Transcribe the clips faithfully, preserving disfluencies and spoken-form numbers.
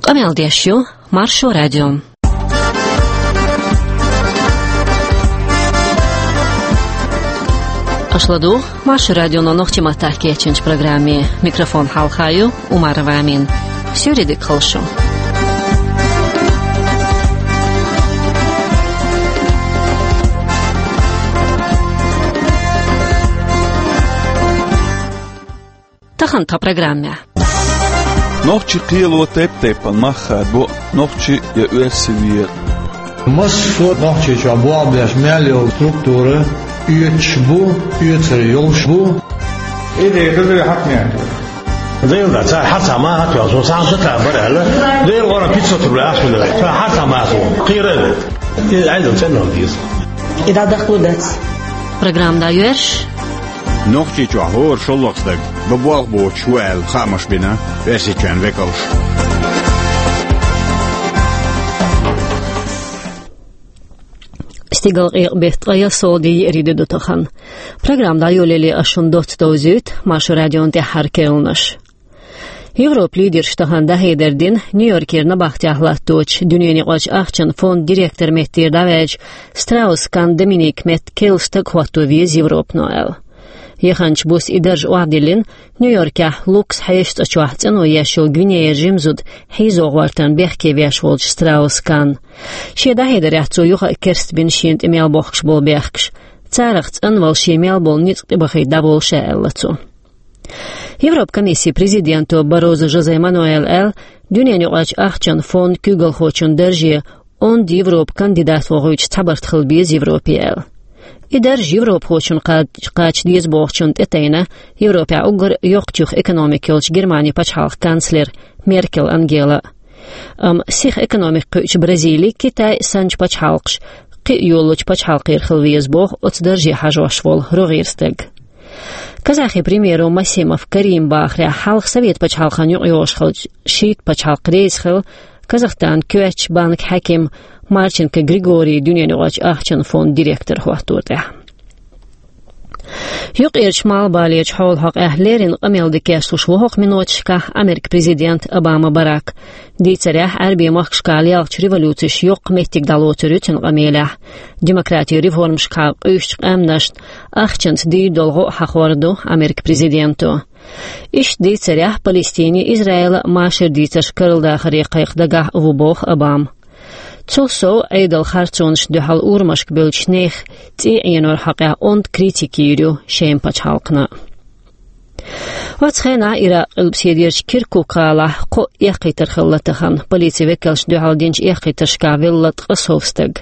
Къамел деш ю Маршо радио. Аша ладугӀу Маршо радионо нохчийн маттахь кечйинчу программе. Микрофон хьалха ю Умарова Амина. Суьйре дика хуьлда шун. Тахана тхан программехь. Нохчийн кхело тайп-тайпана мах хадабо, нохчи я оьрси вер. Массо а Нохчийчохь болх беш мел йолу структура оьцуш бу, оьцур йолуш бу. Идея хезира хьакхнехь. Дела да, цара хьан цхьа маха тоьхна, со цхьа шатра бара аьлла. Дела гӀора пятьсот рублей ахча ду. Цара хьан цхьа маха ву. Кхера а вет. И Ӏедал цӀена деза. И дӀадахло дац. Программа дӀайоьрзуш. Нохчийчохь хӀора шолгӀа стаг бан болх боцуш ву аьлла хаамаш бина Оьрсийчоьнан векалша. Стигалкъекъа беттан ткъе ялх сов де еарин де ду тахана. Программа дӀайолале ас шуна доцца довзуьйту Маршо радион тӀаьххьара керланаш. Европан лидерша тахана дӀахьедар дина Нью-Йоркера набахтехь латточу дуьненаюкъарчу ахчан фонд директор меттера дӀаваьлча Страус-Кан Доминик метта керла стаг хӀотто веза Европано аьлла. Яханчу буса и дарж охьадиллина Нью-Йоркехь Лукас хьешан цӀа чохь цӀено еш йолу Гвинеян жима зуда хьийзо гӀортарна бехке веш волчу Страус-Канна. Шен дӀахьедарехь цо юха а керстбина шена тӀе мел бохкуш болу бехкаш. Царах цӀанвала шен мел болу ницкъ тӀебахийта дӀаболу ша, аьлла цо. Европан комиссин президенто Барозу Жозе Мануэла аьлла, дуьненаюкъарчу ахчан фондана куьйгалхочун дарже онда Европан кандидат вохуьйтуш цхьабарт хила беза Европе аьлла. И дарж европахочунна кхача деза бохучунна тӀетайна Европехь уггар йоккхачух экономика йолчу Германин пачхьалкхан канцлер Меркел Ангела. Амма сиха экономика кхуьучу Бразили, Китай санначу пачхьалкхаш кхин а йоллучу пачхьалкхера хила веза боху оцу дарже хьажош волу рогӀера стаг. Казахин премьеро Масимов Карима бахарехь, хьалха Совет пачхьалкхан юкъайогӀуш хиллачу шийтта пачхьалкх реза хилла Казахстанан коьртачу банкан хьаькам Марченко Григорий дуьненаюкъарчу ахчан фондана директор хӀоттор тӀехь. Юккъерчу Малхбалерчу хьолан хьокъехь леррина къамел дан кечлуш ву хӀокху миноташкахь Американ президент Обама Барак. Дийцарехь, Ӏаьрбийн махкашкахь лелхачу революцеша йоккха меттиг дӀалоцур ю цуьнан къамелехь. Демократин реформашкахьа къуьйсучу къаьмнашна ахчанца дийр долу гӀо хьахор ду Американ президенто. Иштта дийцарехь, Палестинан, Израилан машар дийцарш карладахаре кхайкха дагахь а ву боху Обама. Цул сов, Ӏедалан харцонашна дуьхьал урамашка бевллачу нехан цӀий Ӏеноран хьокъехь онда критика йийр ю Шеман пачхьалкхана. Оцу хенахь Иракъан къилбаседерчу Киркук гӀалахь кхо эккхийтар хилла тахана. Полицин векалшна дуьхьал динчу эккхийтаршкахь велла ткъе сов стаг.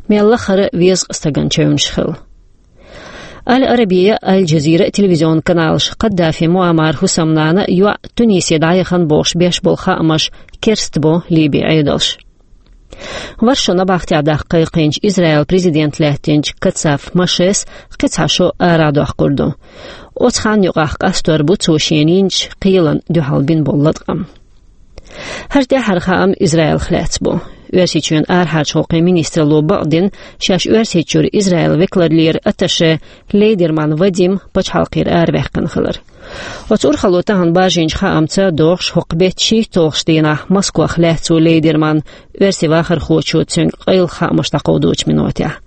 Мел лахара везткъа стагана чевнаш хилла. Аль-Арабия, Аль-Джазира телевизион каналаш Каддафи Муаммар хӀусамнана йоӀ Тунисе дӀаяхана бохуш беш болу хаамаш керстбо Ливин Ӏедалш. Варшо набахтехь даккха кхайкхийначу Израилан президент лаьттинчу Кацав Мошес кхин цхьа шо арахь доккхур ду. Оцу ханна юкъахь къастор бу цо шена йинчу кхелана дуьхьал бина болу латкъам. ХӀара тӀаьххьара хаам Израилах лаьцна бу. Оьрсийчоьнан арахьарчу гӀуллакхийн министралло бакъдина шаьш Оьрсийчуьра Израилан векалара лерина атташе Лейдерман Вадим пачхьалкхера араваьккхина хилар. Оцу урхалло тахана баржийначу хаамца догӀуш, хӀокху беттан шийтталгӀачу дийнахь Москвахь лаьцна ву Лейдерман оьрсийн вахархочо цуьнга къайлаха хаамаш дӀакховдочу минотехь.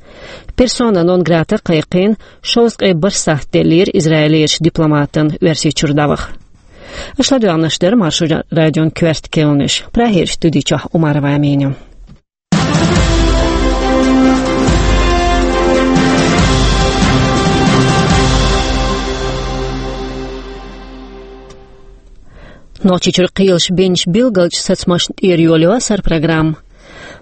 Персона нон грата кхайкхийна, шовзткъе бархӀ сахьт деллера Израилерчу дипломатана Оьрсийчуьра дӀаваха. Аша ладоьгӀнарш дара Маршо радион коьрта керланаш. Прагерчу студи чохь Умарова Амина ю. Нохчийчуьра кхелаша бинчу билгалчу сацамашна тӀера йолайо сар программа.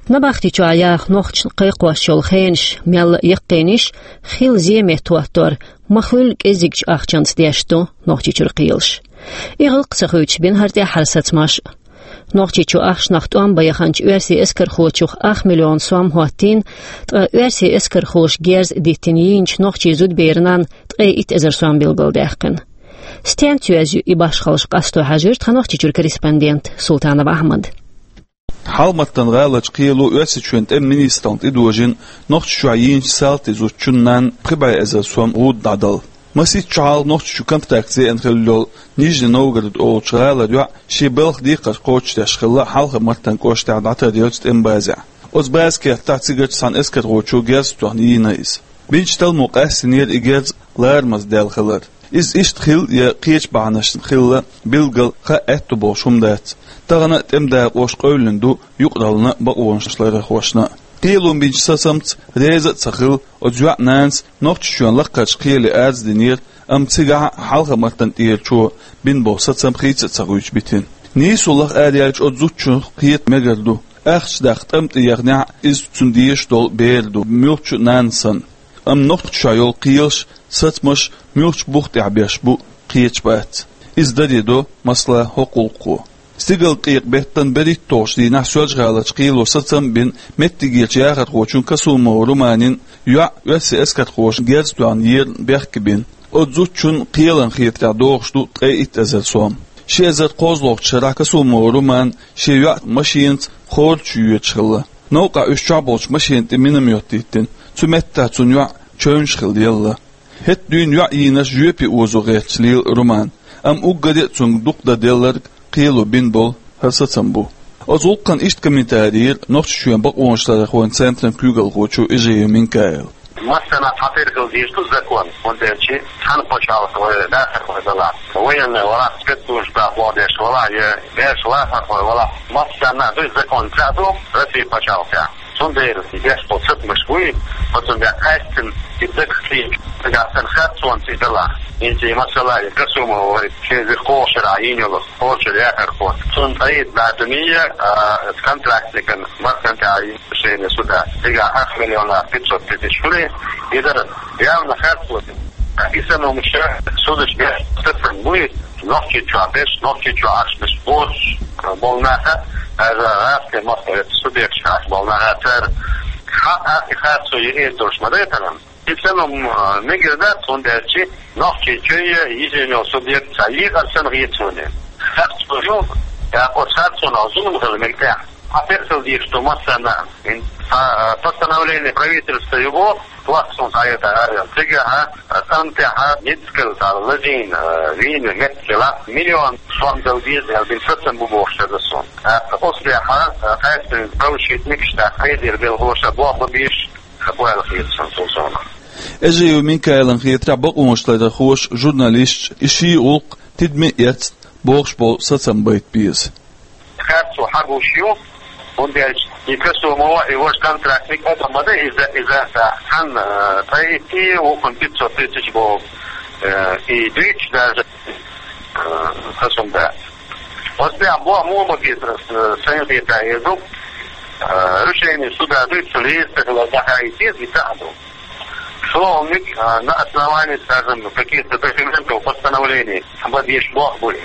Набахти чохь яха нохчашна кхайкхош йолу хенаш мелла а яккхийнаш, хилла зен меттахӀоттор ма-хуьллу кӀеззигчу ахчанца деш ду Нохчийчуьра кхелаш. И гӀуллакх ца хуьйцуш бина хӀара тӀаьххьара сацамаш а. Нохчийчу ахчанах тӀом бан яханчу оьрсийн эскархочух ах миллион сом хӀоттийна, ткъа оьрсийн эскархоша герз а диттина йийначу нохчийн зудаберан ткъе итт эзар сом билгалдаьккхина. Стенца йоьзна ю и башхаллаш, къасто хьаьжира тхан Нохчийчуьра корреспондент Султанов Ахьмад. Хьалматан гӀаларчу кхело Оьрсийчоьнан тӀеман министрална тӀедожийна Нохчийчохь йийначу салтийн зудчун нанна пхи бӀе эзар сом гӀуда дӀадала. Масийтта шо хьалха Нохчийчу контракт зеана хилла йолу Нижний Новгород олучу гӀалара йоӀ шен балха декхар кхочушдеш хилла Хьалха-Мартан кӀоштахь дӀатарйолчу тӀеман базехь. Оцу база кертахь цигарчу цхьана эскархочо герз тоьхна йийна иза. Бинчу талламо къастийнера и герз ларамаза даьлла хилар. Иза иштта хилла я кхечу бахьанашна хилла билггал хаа аьтто болуш хӀума дац. Тахана а тӀеман дакъош къевлина ду юкъараллина а, бакъонашларъярхошна а. Кхело бинчу сацамца реза а ца хилла, оцу йоьӀан нанас Нохчийчоьнан лакхарчу кхеле арз динера, амма цигахь а Хьалха-Мартан тӀерачо бина болу сацам хийца а ца хуьйцуш битина. Нийсо лаха араяьлча, оцу зудчух кхета мегар ду. Ахча даккха тӀам тӀе яханехь а, иза цунна дезаш долу бер ду, муьлххачу а нанна санна. Амма Нохчийчохь йолу кхелаш, сацамаш муьлххачу бух тӀехь беш бу, кхеташ бац. Иза даре до, масала, хӀокху гӀуллакхо. Стигалкъекъа беттан берхӀитталгӀачу дийнахь Соьлжа-ГӀаларчу кхело сацам а бина, меттигерчу яхархочун Касумова Руманин йоӀ оьрсийн эскархоша герз тоьхна ерна бехке бина. Оцу зудчун кхелан хетарехь догӀуш ду ткъе итт эзар сом. Ши эзар кхозлагӀчу шарахь Касумова Румана шен йоӀ машенаца Хорачу йоьдуш хилла. Новкъахь уьш чохь болчу машенна тӀе миномет йиттина. Цу меттехь цуьнан йоӀ чевнаш хилла елла. ХӀетахь дуьйна йоӀ йийнарш жоьпе озо гӀерташ лела Румана, амма уггаре а цуьнга дукха дан делларг кхело бина болу хӀара сацам бу. Оцу гӀуллакхна иштта комментари йира Нохчийчоьнан бакъонашларъярхойн центран куьйгалхочо Эжиев Минкаила. Массанхьа цхьатерра хила дезаш ду закон, хӀунда аьлча цхьана пачхьалкх вай дахархой далахь, военный валахь, спецслужбах лоьхуш валахь, я беш вахархой валахь, массарна а ду закон, цхьаъ ду Россия пачхьалкхехь. Цундела и беш болу сацамаш буй, оцунна бен къаьстина и дагах кхечу, нагахь санна харцонца и далахь. ХӀинца и масала, и Касумова вай шен вирховгӀа шарахь йийна йолу Хорачу яхархо. Цунна ткъе итт бӀе дуьне, а, контрактникан Мартан тӀехь решение суда. Цигахь ах миллион пятьсот тысяч хуьлий, и дара явно харцо. И санна хӀумнаш судаш беш сацам буй, Нохчийчохь беш, Нохчийчохь Ӏаш беш боцуш болу наха, даже гӀазкхийн махкахь субъекташкахь Ӏаш болу наха, цара хьан а и харцо йиъна долуш ма дайтаран. И санна хӀума мегар дац, хӀунда аьлча Нохчийчоь я йижина йолу субъект цхьа екъар санна хета суна. Харцо ю, тӀаккха оцу харцонах зулам хила мега тӀехь. Хьан персал дийш ду массарна а. Ин, а, а, постановление правительства ю боху, пластун хьаэта арел. Цигахь, а, тӀам тӀехь, а, ницкъала цхьа лазийна, а, вийна меттигала миллион сом дала деза аьлла бина сацам бу бохуш хеза суна. ТӀаккха оцу тӀехь, а, къаьстина правозащитникаш, тӀаккха хьедира белхоша боху беш, а, бу аьлла хета суна цул совнаха. Эжиев Минкаилан хетарехь бакъонашларъярхоша, журналисташа и ши гӀуллакх тидаме а эцна бохуш болу сацам байта беза. Харцо хьан гуш ю, хӀунда аьлча и Касумова, и важа контрактник адам ма ду иза, иза цхьанна, э, ткъе итт, вукхунна пятьсот тысяч боху, э, и дуьйцуш даже, э, хаза хӀума дац. Оцу тӀехь боху муха ма безара, э, сайн хетарехь ду, э, решение суда дуьйцу леза тахала дахьа и теза, и цхьаъ ду. ШолгӀаниг, а, на основании, скажем, каких-то документов, постановлений, бан дезаш боху бу и.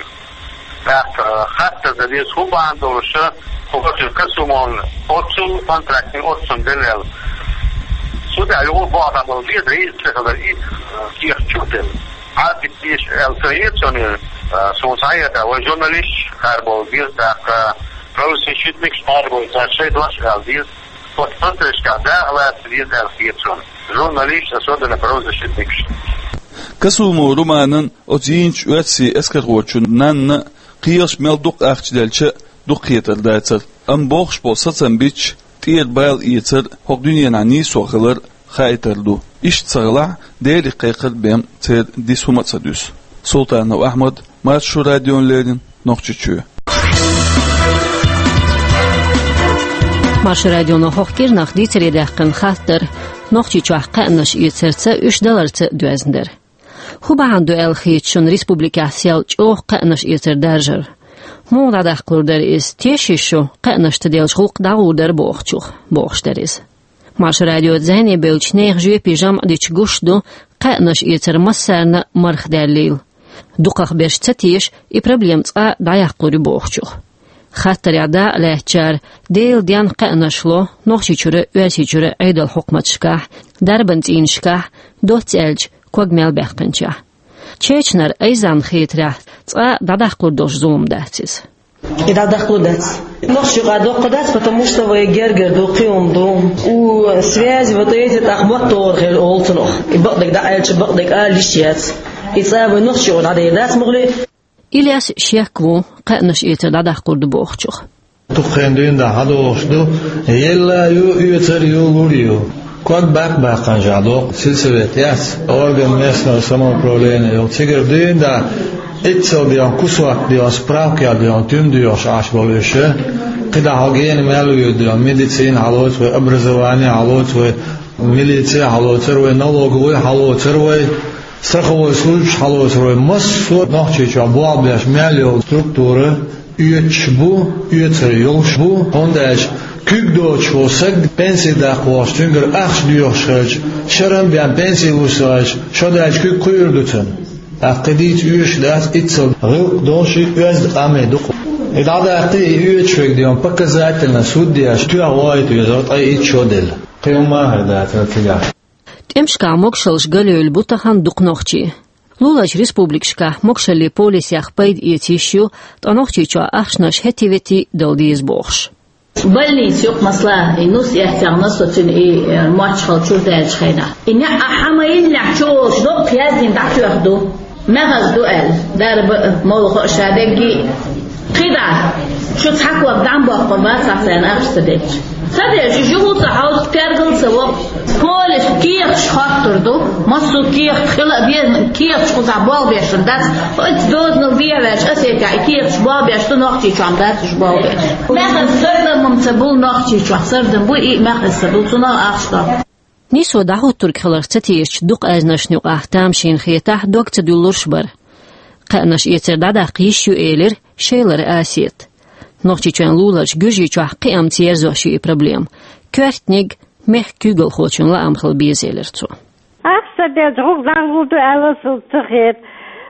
ТӀаккха, а, хаттар дан деза, хӀун бахьана долуш, хӀокху Касумовна оццул контрактник оццунна делла аьлла. Суда юха боху дӀабала деза, реза ца хилар и, а, кехат чу а делла. Ӏадда дезаш аьлла ца хета суна, а, суна схьахетарехь, вай журналисташ арабовла деза, тӀаккха правозащитникаш арабовла, цара шайн дош ала деза. Оцу процессашкахь дакъа лаца деза аьлла хета суна. Журналисташ, особенно правозащитникаш. Касумов Руманан, оцу йийначу оьрсийн эскархочун нанна кхелаша мел дукха ахча делча а дукхахетар дацара. Амма бохуш болу сацам бича, тӀера бала эцар хӀокху дуьненахь нийсо хилар хаийтар ду. Иштта ца хилахь, Деле кхайкхар бен церан диса хӀума а ца дуьсу. Султанов Ахьмад, Маршо радиона леррина, Нохчийчоь. Маршо радионо хӀокху кӀирнах дийцаре даьккхина хаттар Нохчийчохь кхаьънаш эцарца, уьш даларца доьзна дара. ХӀун бахьана ду аьлла хета шуна республикехь сел чӀогӀа кхаьънаш эцар даржар? Муха дӀадаккхалур дара иза? Теший шу кхаьънашца деллачу гӀуллакх дӀагӀур дара бохучух? Бохуш дара иза. Маршо радиоца зӀене бевллачу нехан жоьпе жамӀ дича гуш ду кхаьънаш эцар массарна а марха даьллийла. Дукхах берш ца теша и проблема цкъа дӀаяккхалур ю бохучух. Хаттарехь дакъа лаьцначара Делан денна кхаьънаш ло Нохчийчуьра а, Оьрсийчуьра а Ӏедалан хьукматашкахь, дарбан цӀийнашкахь, доцца аьлча, ког мел баьккхинчохь. Чечнара Айзанна хетарехь, цкъа дӀадаккхалур долуш зулам дац иза. И дӀадаккхалур дац. Нохчийн юкъахь доккха дац, потому что вай гергара ду, кхин хӀума ду. У связи вот эти тӀаккха моттагӀар хир олу цунах. И бакъдерг дӀааьлча, бакъдерг ала йиш яц. И цӀа вай нохчий гӀо дӀадайр дац мугӀли. Ильяс шек ву кхаьънаш эцар дӀадаккхур ду бохучух. Дукха хенахь дуьйна дӀа хьадогӀуш ду, елла ю, оьцар ю, лур ю. Ког баккха-баккханчохь доккху, сельсовет яц, орган местного самоуправления йолу. Цигара дуьйна дӀа иццал дегӀан кусок дегӀан, справка дегӀан, туьма доьхуш Ӏаш болу уьш. КхидӀа хьо гена мел вуьйр дегӀан, медицина хьалоцу вай, образование хьалоцу вай, милиция хьалоцур вай, налоговый хьалоцур вай, страховой службаш хьалоцур вай. Массо а Нохчийчохь болх беш мел йолу структура оьцуш бу, оьцур йолуш бу, хӀунда аьлча куьг доцуш волу саг пенсий даккха вахча, цуьнгара ахча доьхуш хилча, шарахь бен пенсий луш ца хилча, шо даьлча куьг кхуьур ду цунна. ТӀаккха кхин дийца оьшуш дац, иццал гӀиллакх долуш и оьзда къам ду-кх. И дӀадаккхий, и оьцуш верг дегӀан показательно суд деш, тоьхна вахийта везара ткъе итт шо делла. Кхин хӀумма а хир дацара цигахь. ТӀемашкахь могушаллаш галъевлла бу тахана дукха нохчий. Луларчу республикашкахь могушаллин полисех пайда эца йиш ю, ткъа Нохчийчохь ахчанаш хӀетте-ветте дала деза бохуш. Больница юкъа, масала, и нус эцна со цуьнан и, э, мочхал чуьра даьллачу хенахь. И неӀ а хьан ма йиннехь чу волуш доккха яздина дӀатоьхна ду. Мехаза ду аьлла, дарба а, молла а ша дегги. КхидӀа, шу цхьа ког дӀа ма боккхур бац ахь царна ахча ца детташ. Ца деш, уьш юха ца хьовзу, пергал ца воккху. Полис кехаташ хоттур ду, массо а кехат хила а беза, кехаташ кхузахь болх беш дац. Оцу дозанал бехьаваьлча, аса и кехаташ болх беш ду, Нохчийчохь дац уьш болх беш. Мехаза сардам ца бу Нохчийчохь, сардам бу и мехаза ца бу, цунах ахча до. Нийсо дӀахӀуттург хиларх ца тешачу дукха аьзнашна юкъахь тамашийна хетахь, дог ца дуьллурш бара. Кхаьънаш эцар дӀадаккха йиш ю, элира Шелара Асета. Нохчийчоьнан луларчу Гуьржийчохь кхиамца ерзош ю и проблема. Коьртаниг мехкан куьйгалхочун лаам хила беза, элира цо. Ахча ца делча, гӀуллакх дӀагӀур ду аьлла, суна ца хета.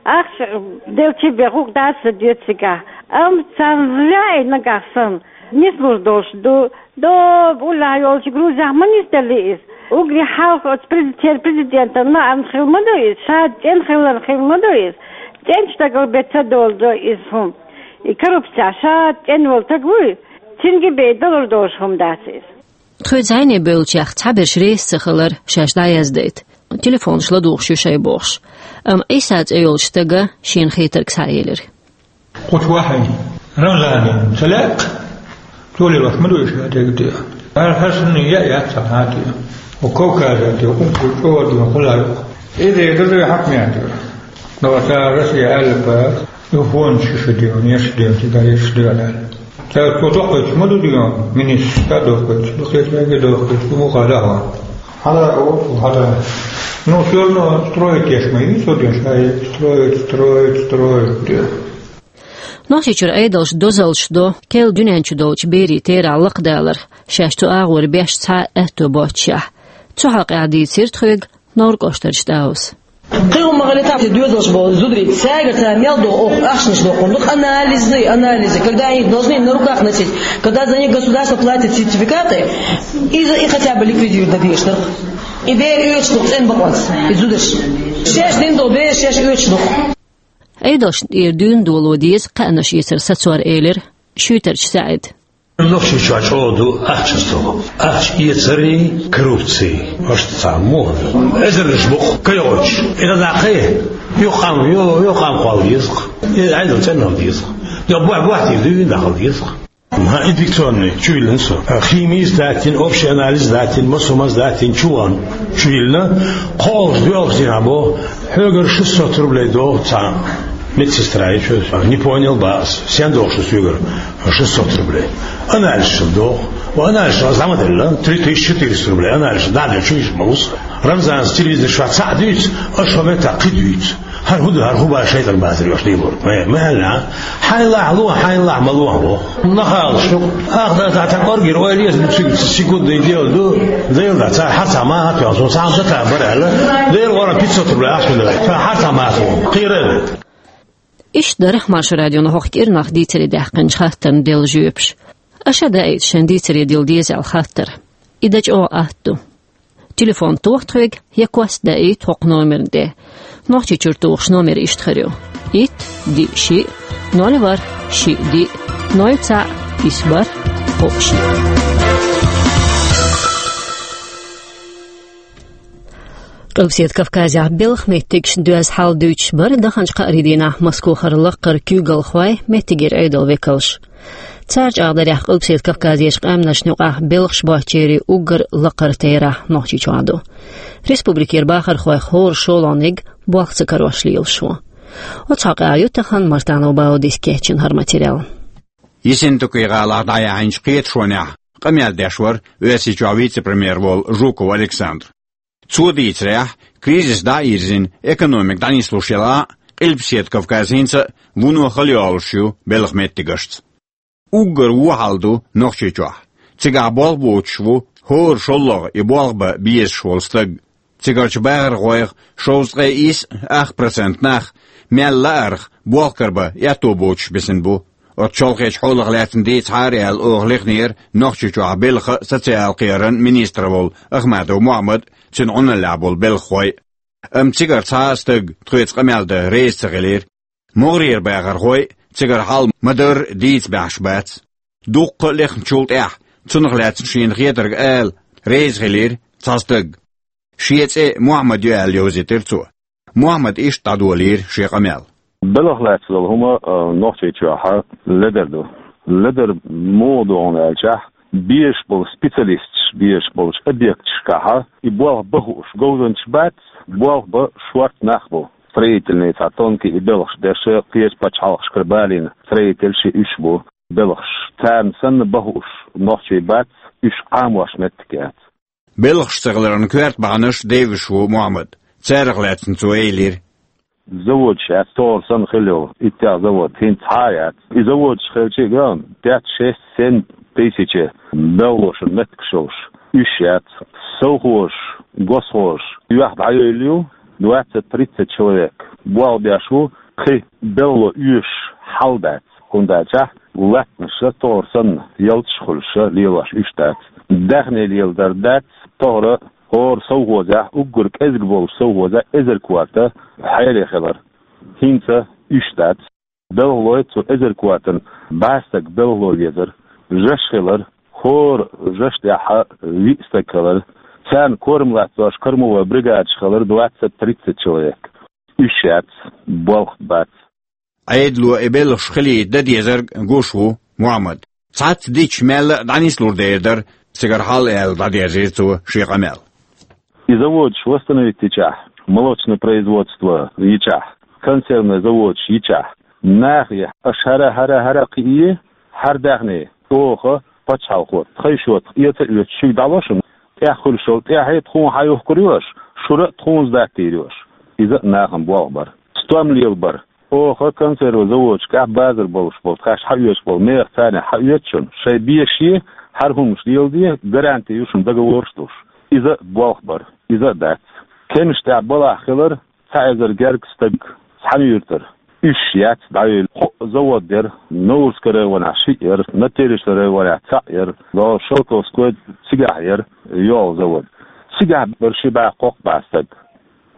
Ахча делча бен гӀуллакх дац ца доьцу цигахь. Амма царна зря и нагахь санна нислур долуш ду. Доб уллехь йолчу Грузехь ма нисделли иза. Уггаре хьалха оцу прези-, церан президентан лаам хила ма ду иза, ша цӀена хиларна хила ма ду иза. ЦӀеначу дагал бен ца долу ду иза хӀума. И коррупция ша цӀена волу стаг вуй, цуьнга бен далур долуш хӀума дац иза. Тхоьца зӀене бевллачех цхьаберш реза ца хилар шаьш дӀаяздайта, телефонаш ладугӀуш ю шайн бохуш. Амма Ӏийса цӀе йолчу стага шена хетарг схьаэлира. Кхучу вахьий, Рамзане ца лаьа, цо лелош ма ду и ша дерг а. Ара хӀара санна яа яц цхьа хьан а тӀе. Оцу Кавказе тӀе, ункур чӀогӀа дина хуьлу-кх. Иза дерг а хьакъ ма яц. Но цара Россия аьлла бац, ю фонд шу шу дина, еш дина, цига еш дина аьлла. Цара цо доккхуьйтуш ма ду дина, министрша доккхуьйтуш, дукхечу мега доккхуьйтуш, ду муха даха. Хьала оцу хьала. Ну, всё равно строить еш ма ю, цо дина ша, строить, строить, строить, дина. Нохчийчуьра Ӏедалша дозаллаш до, керла дуьнен чу долчу берийн терахь лакхадаларх, шаьш цу агӀор беш цхьа а аьтто боццушехь. Цу хьокъехь дийцира тхоьга Новр кӀоштарчу Дауса. Кхин хӀума ма хилла, тахана доьзалш болу зударий, цаьрга цара мел доху, оха ахчанаш дохур ду, анализы, анализы. Когда они должны на руках носить, когда за них государство платит сертификаты, и, за- и хотя бы ликвидировать дан дезаш дара. И бер оьцуш ду цӀена бакъонца, и зударш. Шаьш дина долу бер шаьш оьцуш ду. Ӏедалшна тӀера дуьйна доло деза кхаьънаш эцар сацор, элира Шуьйтарчу СаӀида. Нохчийчохь чӀогӀа ду ахча сто. Ахча эцарий, коррупций. Аш цхьа мо. Эзарнаш бу-кх кхайолчу. И дӀа кхайа. Юха къам, ю-, юха къам кхолла деза-кх. И Ӏедал цӀена хила деза-кх. Йо, бохь-, бохь тӀе дуьйна дӀа хила деза-кх. Ма, инфекционный, чу йиллина со. Химия сдать йина, общий анализ сдать йина, массо а сдать йина, чу ван, чу йиллина. Кхоллаш, доьлхуш дийнахь боху, хьоьгара шестьсот рублей доху цхьа медсестра, я чё, не понял, бац, сен доху шу соьгара шестьсот рублей. Анализ шу доху. Ва анализ шу зама делла, три тысячи четыреста рублей. Анализ шу дӀа чу йиш ма ву со. Рамзанца телевизор чохь цхьаъ дуьйцу, аша хӀун мета кхин дуьйцу. ХӀара хӀун ду, хӀара хӀун баша шайтан базар йош лелор? Ма, ма аьлла, хьайна лахь ло, хьайна лахь ма ло, хьо. Нахала шу. Ах, да, да, так оргир, ой, леза, ну, секундный дело ду. Дела да, цара хьарца ма хьа тоьхна, со цхьа хӀума ца бара аьлла. Дела гӀора пятьсот рублей ахча ду. Цара хьарца ма хьа тоьхна. Кхера а вай. Иштта дара Маршо радион хӀокху кӀирнах дийцаре даьккхинчу хаттарна делла жоьпаш. Аша даийта шайн дийцаре дилла деза аьлла хаттар. И дан чӀогӀа атта ду. Телефон тоха тхоьга, я кост даийта хӀокху номерна тӀе. Нохчийчуьра тухуш номер иштта хир ю: итт, диъ, шиъ, ноль, ворхӀ, шиъ, диъ, ноль, цхьаъ, исс, бархӀ, кхоъ, шиъ. Къилбаседа Кавказехь белхан меттигашна доьзна хьал дуьйцуш бара даханчу кхаарин дийнахь Москвахара лакхара куьйгалхой, меттигера Ӏедалан векалш. Цара чӀагӀдарехь, Къилбаседа Кавказерчу къаьмнашна юкъахь белхаш боцчеран уггар лакхара терахь Нохчийчохь ду. Республикера бахархойх хӀора шолгӀаниг болх ца карош лелаш ву. Оцу хьокъехь ю тахана Мартанов Баудис кечйина хӀара материал. Ессентуки-гӀалахь дӀаяьхьначу кхеташонехь къамел деш вара Оьрсийчохь вице-премьер волу Жуков Александр. Цо дийцарехь, кризис дӀа а йирзина, экономика дӀанислуш елахь а, Къилбаседа Кавказ хӀинца а вуно хала йолуш ю белхан меттигашца. Уггар вон хьал ду Нохчийчохь. Цигахь болх боцуш ву хӀора шолгӀа и болх бан безаш волу стаг. Цигарчу бахархойх шовзткъе исс ах процент нах мел лаарх болх карабан аьтто боцуш бисина бу. Оцу чолхечу хьолах лаьцна дийцахьара аьлла оха лехнера Нохчийчохь белхан а, социал кхераман а министр волу Ахмадов Мохьмад а, цуьнан Ӏуналлехь болу белхахой а. Амма цигара цхьа а стаг тхоьца къамел дан реза ца хилира. МогӀарера бахархой а цигара хьал ма-дарра дийца баьхьаш бац. Дуккха а лехначул тӀаьхьа цунах лаьцна шена хетарг ала реза хилира цхьа стаг. Шен цӀе Мохьмад ю аьлла йовзийтира цо. Мохьмада иштта дӀадолийра шен къамел. Белхах лаьцна долу хӀума, а, Нохчийчохь ледара ду. Ледара муха ду хьуна аьлчахь, безаш болу специалисташ безаш болчу объекташкахь и болх бан хууш говзанчаш бац, болх бан шортта нах бу. Строительный цхьа тонкий и белхаш деш, кхечу пачхьалкхашкара балийна строительш и уьш бу белхаш. Царна санна бан хууш нохчий бац, уьш Ӏамош меттиг яц. Белхаш ца хиларан коьрта бахьанаш девзаш ву Мохьмад. Царах лаьцна цо элира: Заводаш яц, тохара санна хилла йолу иттех завод хӀинца цхьа а яц. И заводаш хилча а, пять, шесть, семь тысяч белхалошна меттигаш йолуш, уьш яц. Совхозаш, госхозаш юьхь дӀайойла ю, двадцать-тридцать человек болх беш ву, кхин белхало оьшуш хьал дац. ХӀунда аьлчахь латтанаш тохара санна ялташ хуьлуш лелош уьш дац. Даьхни леладар дац, тохара хӀора совхозехь, уггар кӀезиг болчу совхозехь эзар корта хьере хилар. ХӀинца уьш дац. Белхалой цу эзар кортана бӀе стаг белхало везара. Жаш хилар, хӀора жаш тӀехь виъ стаг хилар. Царна корам латтош кормовой бригадаш хилар двадцать-тридцать человек. Уьш яц, болх бац. Ӏедало и белхаш хилийта дан дезарг гуш ву Мохьмад. Цхьацца дича мелла а дӀанислур дер дара цигара хьал, аьлла, дӀадерзийра цо шен къамел. И заводаш восстановить йичахь, молочное производство йичахь, консервный заводаш йичахь, нахе аша хӀара, хӀара, хӀара кхиийе, хӀара даьхни оха пачхьалкхо тхайн шотах эца а оьцуш шуьга дӀало шуна, тӀехь хуьлуш йолу тӀаьхье тхуна хьан юхкур ю аша, шура а тхуна сдать дийр ю аша. Иза а нахана болх бара. Стом лелабар. Оха консерва заводашкахь базар болуш болу, тхаьш хьаоьцуш болу меха царна хьаоьцу шуна, шайн беше хӀара хӀуманаш леладе, гаранти ю шуна договорш долуш. Иза а болх бара, иза а дац. Кемаш тӀехь балахь хилар цхьа эзар гергга стаг цхьана юьртара. Уьш яц дӀайойла. Кхо завод яра, Наурскан районехь шиъ яра, Натеречный районехь цхьаъ яра, Шелковской цигахь яра йолу завод. Цигахь бара ши бӀе, кхо бӀе стаг.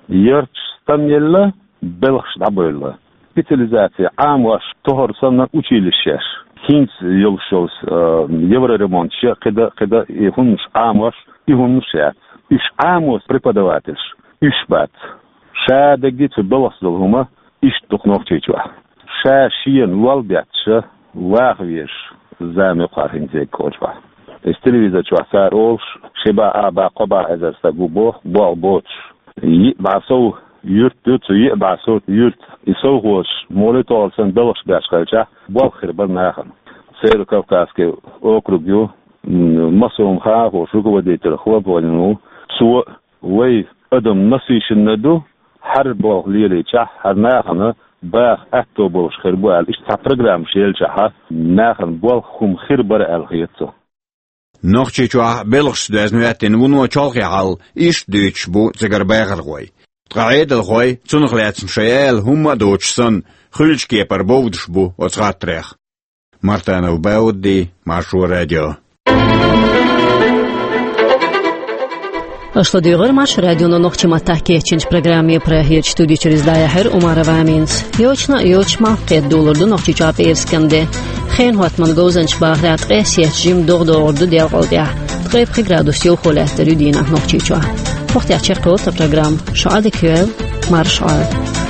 Ярташ стам елла, белхаш дӀабевлла. Специализация Ӏамош, тохара санна училищеш. ХӀинца йолуш йолу, э, евроремонташ, кхидӀа, кхидӀа и хӀуманаш Ӏамош, и хӀуманаш яц. Уьш Ӏамош преподавательш, уьш бац. Ша дерриге цу белхашца долу хӀума иштта ду-кх Нохчийчохь. Ша шена лол бетташ ваха везаш зама ю-кх хӀинца Кхоьлчахь. Иза телевизор чохь цара олуш, ши бӀе, а бӀе, кхо бӀе эзар стаг ву боху, болх боцуш. Йиъ бӀе сов юрт ю, цу йиъ бӀе сов юрт. И совхозаш муха тохара санна белхаш беш хилчахь, болх хир бара нахана. Северо-Кавказский округ ю, м, массо а хӀума хаа волуш руководитель Хлопонин ву. Цо: вай адам насыщенный ду, хӀара болх лелийчахь, хӀара нахана баха аьтто болуш хир бу аьлла, иштта цхьа программаш елчахьа, нахана болх, хӀума хир бара аьлла хета цо. Нохчийчохь белхашца доьзна хӀоьттина вуно чолхе хьал иштта дуьйцуш бу цигара бахархой. Ткъа Ӏедалхой, цунах лаьцна шайн ала хӀумма а доцуш санна, хуьлучу кепара бовдуш бу оцу хаттарех. Мартанов Баудди, Маршо радио. Аша ладуьйгӀира Маршо радионо нохчийн маттахь кечйинчу программе. Прагерчу студи чуьра иза дӀаяьхьира Умарова Аминас. Йочана а йоцуш, малх кхетта долур ду Нохчийчохь пӀераскан де. Хенан хӀоттаман говзанчаша бахарехь, ткъе сецна жимма догӀа догӀур ду делкъал тӀехь. Ткъе пхи градус йовхо лаьттар ю дийнахь Нохчийчохь. Вахтехь чекхйолу тхан программа. Шу Ӏадика йойла, марша Ӏойла.